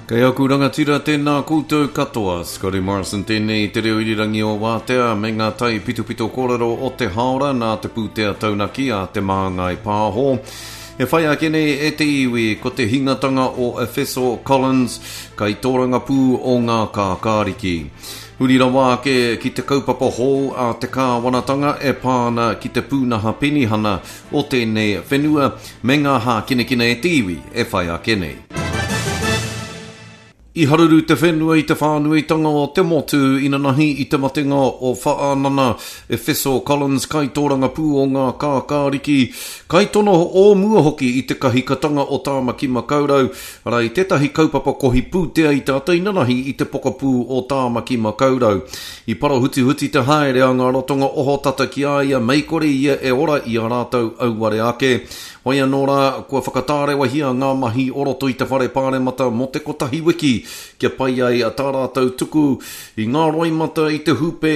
Kei aku rangatira, tēnā koutou katoa. Scotty Morrison tēnei i te reo irirangi o Wātea me ngā tai pitopito kōrero o te hāora nā te pūtea taunaki a Te Māngai Pāho. E whai ake nei e te iwi ko te hingatanga o Efeso Collins, kaitōrangapū o ngā kākāriki. Huri rawa ake ki te kaupapa hou a te kāwanatanga e pā ana ki te pūnaha penihana o tēnei whenua me ngā hākinakina e te iwi e whai ake nei. I haruru te whenua i te whānuitanga o te motu inanahi i te matenga o Whaanana Efeso Collins kaitōrangapū o ngā kākāriki, kaitono o mua hoki i te kahikatanga o Tāmaki Makaurau, arā i tētahi kaupapa kohi pūtea i te ata inanahi i te pokapū o Tāmaki Makaurau. I parahutihuti te haere a ngā ratonga ohotata ki a ia mei kore ia e ora i a rātou auare ake. Hoi anō rā, kua whakatārewahia ngā mahi o roto i te whare pāremata mō te kotahi wiki kia pai ai tā rātou tuku i ngā roimata i te hūpē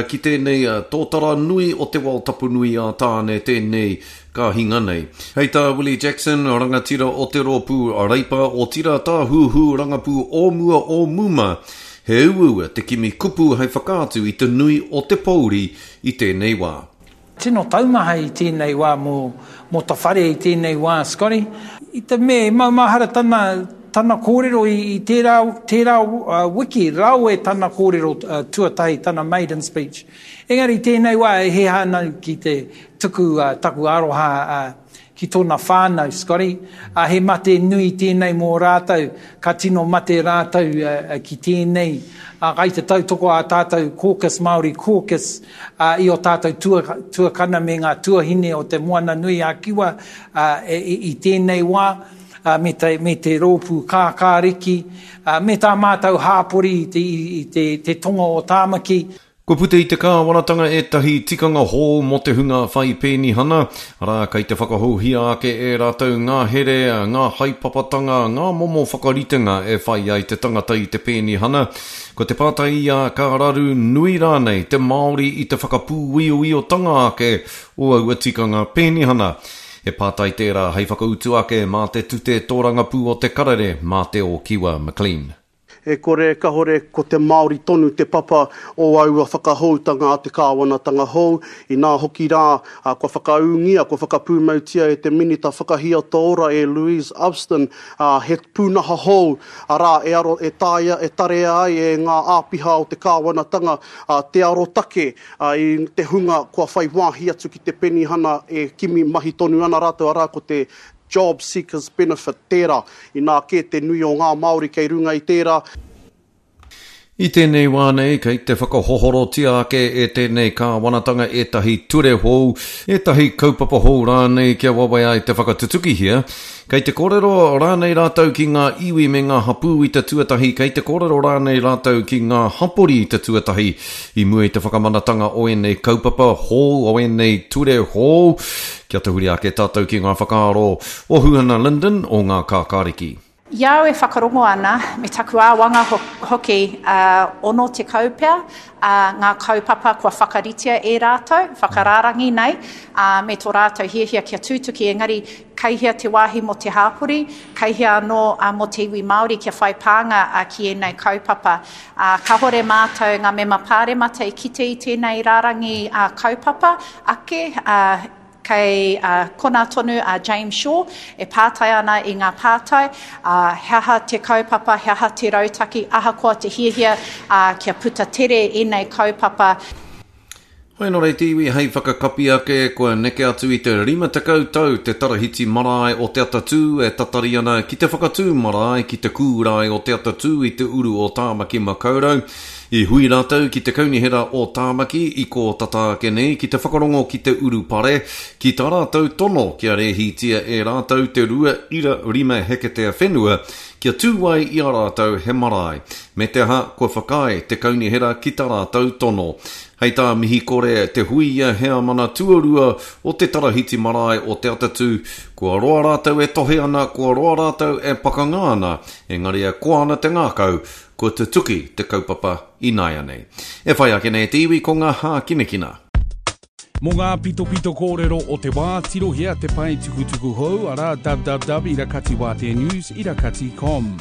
ki tēnei tōtara nui o te wao tapu nui a Tāne tēnei Ka hinga nei. Hei tā Willie Jackson, rangatira o te rōpū Reipa, otirā tāhuhu rangapū o mua o Muma, he uaua te kimi kupu hei whakaatu i te nui o te pouri i tēnei wā. Tino taumaha i tēnei wā mō, mō ta whare i tēnei wā, Scotty. I te mea e maumahara tana, tana kōrero i, i tērā, tērā wiki, rawe tana kōrero tuatahi, tana maiden speech. Engari i tēnei wā e heha ana ki te tuku taku aroha ki tōna whānau, Scotty, he mate nui tēnei mō rātou, ka tino mate rātou ki tēnei, kai te tautoko ā tātou caucus, Māori caucus, i ō tātou tuakana me ngā tuahine o Te Moana Nui a Kiwa i tēnei wā, me te, me te rōpū kākāriki, me tā mātou hāpori i te, te tonga o Tāmaki. Kua puta i te kāwanatanga ētahi tikanga hou mō te hunga whai pēnihana, arā, kei te whakahouhia ake e rātou ngā here, ngā haepapatanga, ngā momo whakaritenga e whai ai te tangata i te pēnihana. Ko te pātai ia, ka raru nui rānei te Māori i te whakapūioiotanga ake o aua tikanga pēnihana? He pātai tērā hei whakautu ake mā te tute tōrangapū o te karere, mā Te Ōkiwa McLean. E kore kahore ko te Māori tonu te papa o aua whakahoutanga a te kāwanatanga hou, inā hoki rā, kua whakaūngia, kua whakapūmautia e te Minita Whakahiato Ora e Louise Upston, he pūnaha hou, arā, e aro, e taea, e tarea ai e ngā āpiha o te kāwanatanga te arotake i te hunga kua whai wāhi atu ki te penihana e kimi mahi tonu ana rātou, arā, ko te Job Seekers Benefit tērā, inā kē te nui o ngā Māori kei runga i tērā. I tēnei wā nei, kei te whakahohorotia ake e tēnei kāwanatanga ētahi ture hou, ētahi kaupapa hou rānei kia wawe ai te whakatutukihia. Kei te kōrero rānei rātou ki ngā iwi me ngā hapū i te tuatahi, kei te kōrero rānei rātou ki ngā hapori i te tuatahi i mua i te whakamanatanga o ēnei kaupapa hou, o ēnei ture hou. Kia tahuri ake tātou ki ngā whakaaro o Huhana Lyndon o Ngā Kākāriki. I a au e whakarongo ana, me taku āwanga hoki, 60 pea ngā kaupapa kua whakaritea e rātou, whakarārangi nei, me tō rātou hiahia kia tutuki, engari kei hea te wāhi mō te hāpori, kei hea anō mō te iwi Māori kia whai pānga ki ēnei kaupapa. Ā, kāhore mātou ngā mema pāremata i kite i tēnei rārangi kaupapa ake, ā, kei konā tonu a James Shaw e pātai ana i ngā pātai, ā, he aha te kaupapa, he aha te rautaki, ahakoa te hiahia, ā, kia puta tere ēnei kaupapa. Hoi nō reira te iwi hei whakakapi ake, kua neke atu i te 50 tau te tarahiti marae o Te Atatū e tatari ana ki te whakatū marae ki te kūrae o Te Atatū i te uru o Tāmaki Makaurau. I hui rātou ki te Kaunihera o Tāmaki i kō tata ake nei ki te whakarongo ki te urupare ki tā rātou tono kia rēhitia e rātou te 2.5 heketea whenua kia tū ai i a rātou he marae. Me te aha, kua whakaae te kaunihera ki tā rātou tono. Hei tā Mihikore Te Huia heamana tuarua o te Tarahiti Marae o Te Atatū, kua roa rātou e tohe ana, kua roa rātou e pakanga ana, engari e koa ana te ngākau, kua tutuki te kaupapa ināianei. E whai ake nei te iwi ko ngā hākinakina. Mō ngā pitopito kōrero o te wā, tirohia te pae tukutuku hou, arā, www.irakatiwāteanews irakati com.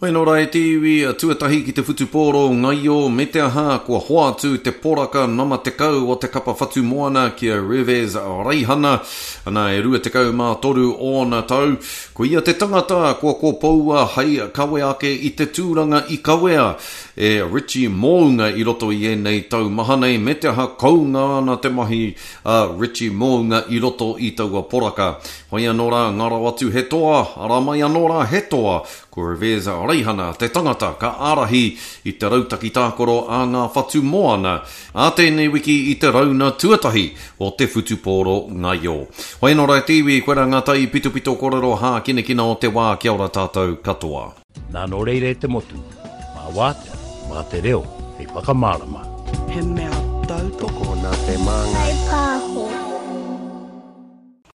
Hoi nō rā e te iwi, tuatahi ki te whutupōro ngaio me te aha kua hoatu te poraka nama 10 o te kapa Whatumoana ki a Revez Reihana, ana e 23 ōna tau. Ko ia te tangata kua kopoua hei kawe ake i te tūranga i kawea e Richie Mounga i roto i ēnei tau maha nei me te aha kounga ana te mahi a Richie Mounga i roto i taua poraka. Hoi anō rā, ngaro atu he toa, ara mai anō rā he toa, Ko Revez Reihana te tangata ka ārahi i te rautaki tākaro a ngā whatu moana ā tēnei wiki i te rauna tuatahi o te whutupōro ngaio. Hoi anō rā e te iwi, koirā ngā tai pitopito kōrero hākinakina o te wā, kia ora tātou katoa. Nā nō reira e te motu, mā Wātea, mā te reo hei whakamārama. He mea.